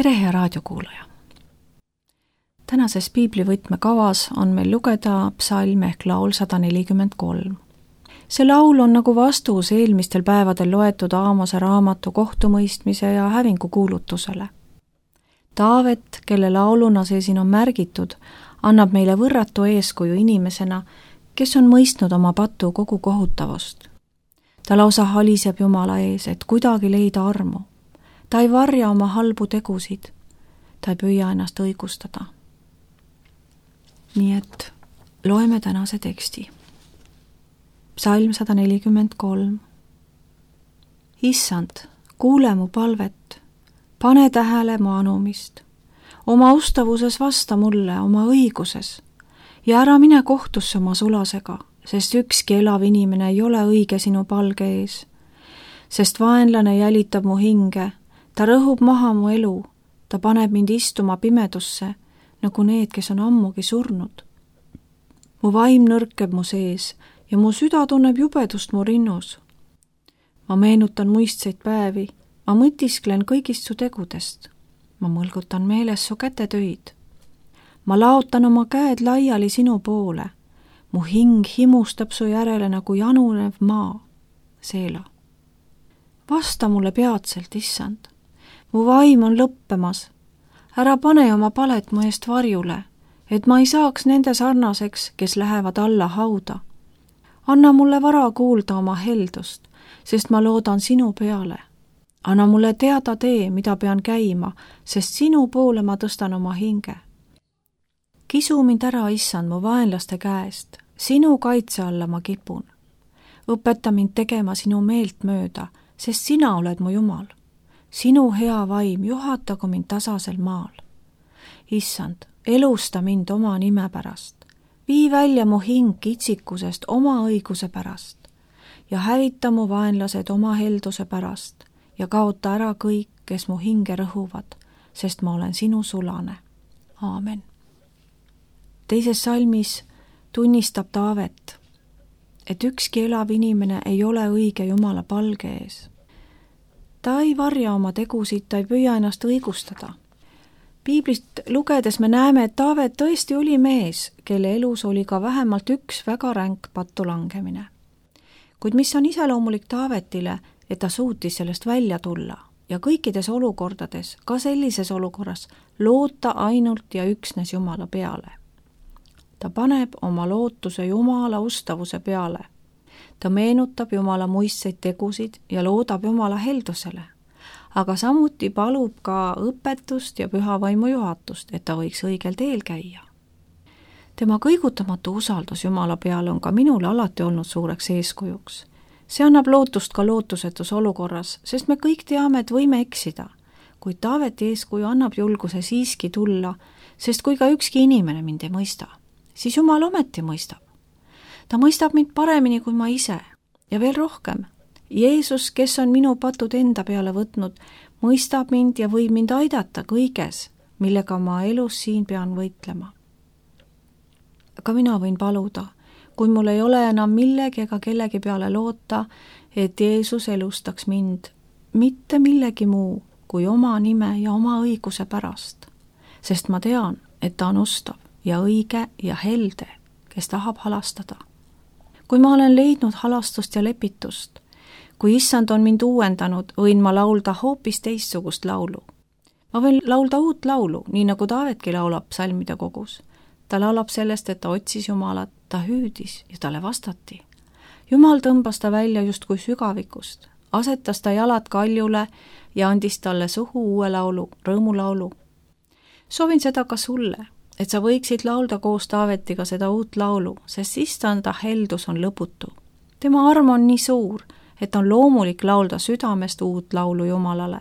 tere, hea raadiokuulaja! Tänases piiblivõtme kavas on meil lugeda psalm ehk laul 143. See laul on nagu vastus eelmistel päevadel loetud Aamose raamatu kohtumõistmise ja hävingu kuulutusele. Taavet, kelle lauluna see siin on märgitud, annab meile võrratu eeskuju inimesena, kes on mõistnud oma patu kogu kohutavust. Ta lausa haliseb Jumala ees, et kuidagi leida armu. Ta ei varja oma halbu tegusid. Ta ei püüa ennast õigustada. Nii et loeme tänase teksti. Psalm 143. Issand, kuule mu palvet, pane tähele mu anumist. Oma ustavuses vasta mulle, oma õiguses. Ja ära mine kohtusse oma sulasega, sest ükski elav inimene ei ole õige sinu palge ees. Sest vaenlane jälitab mu hinge, ta rõhub maha mu elu, ta paneb mind istuma pimedusse, nagu need, kes on ammugi surnud. Mu vaim nõrkeb mu sees ja mu süda tunneb jubedust mu rinnus. Ma meenutan muistseid päevi, ma mõtisklen kõigist su tegudest. Ma mõlgutan meeles su kätetöid. Ma laotan oma käed laiali sinu poole. Mu hing himustab su järele nagu janunev maa. Seela. Vasta mulle peatselt, issand. Mu vaim on lõppemas. Ära pane oma palet mu eest varjule, et ma ei saaks nende sarnaseks, kes lähevad alla hauda. Anna mulle vara kuulda oma heldust, sest ma loodan sinu peale. Anna mulle teada tee, mida pean käima, sest sinu poole ma tõstan oma hinge. Kisu mind ära, issand, mu vaenlaste käest. Sinu kaitse alla ma kipun. Õpeta mind tegema sinu meelt mööda, sest sina oled mu Jumal. Sinu hea vaim juhatagu mind tasasel maal. Issand, elusta mind oma nime pärast. Vii välja mu hing kitsikusest oma õiguse pärast ja hävita mu vaenlased oma helduse pärast ja kaota ära kõik, kes mu hinge rõhuvad, sest ma olen sinu sulane. Aamen. Teises salmis tunnistab Taavet, et ükski elav inimene ei ole õige Jumala palge ees. Ta ei varja oma tegusid, ta ei püüa ennast õigustada. Piiblist lugedes me näeme, et Taavet tõesti oli mees, kelle elus oli ka vähemalt üks väga ränk pattu langemine. Kuid mis on iseloomulik Taavetile, et ta suutis sellest välja tulla ja kõikides olukordades, ka sellises olukorras, loota ainult ja üksnes Jumala peale. Ta paneb oma lootuse Jumala ustavuse peale. Ta meenutab Jumala muistseid tegusid ja loodab Jumala heldusele, aga samuti palub ka õpetust ja püha vaimu juhatust, et ta võiks õigel teel käia. Tema kõigutamatu usaldus Jumala peale on ka minule alati olnud suureks eeskujuks. See annab lootust ka lootusetus olukorras, sest me kõik teame, et võime eksida, kuid Taaveti eeskuju annab julguse siiski tulla, sest kui ka ükski inimene mind ei mõista, siis Jumal ometi mõistab. Ta mõistab mind paremini kui ma ise ja veel rohkem. Jeesus, kes on minu patud enda peale võtnud, mõistab mind ja võib mind aidata kõiges, millega ma elus siin pean võitlema. Aga mina võin paluda, kui mul ei ole enam millegi ega kellegi peale loota, et Jeesus elustaks mind mitte millegi muu kui oma nime ja oma õiguse pärast, sest ma tean, et ta on ustav ja õige ja helde, kes tahab halastada. Kui ma olen leidnud halastust ja lepitust, kui issand on mind uuendanud, võin ma laulda hoopis teistsugust laulu. Ma võin laulda uut laulu, nii nagu Taavetki laulab psalmide kogus. Ta laulab sellest, et ta otsis Jumalat, ta hüüdis ja talle vastati. Jumal tõmbas ta välja justkui sügavikust, asetas ta jalad kaljule ja andis talle suhu uue laulu, rõõmulaulu. Soovin seda ka sulle, et sa võiksid laulda koos Taavetiga seda uut laulu, sest issanda heldus on lõputu. Tema arm on nii suur, et on loomulik laulda südamest uut laulu Jumalale.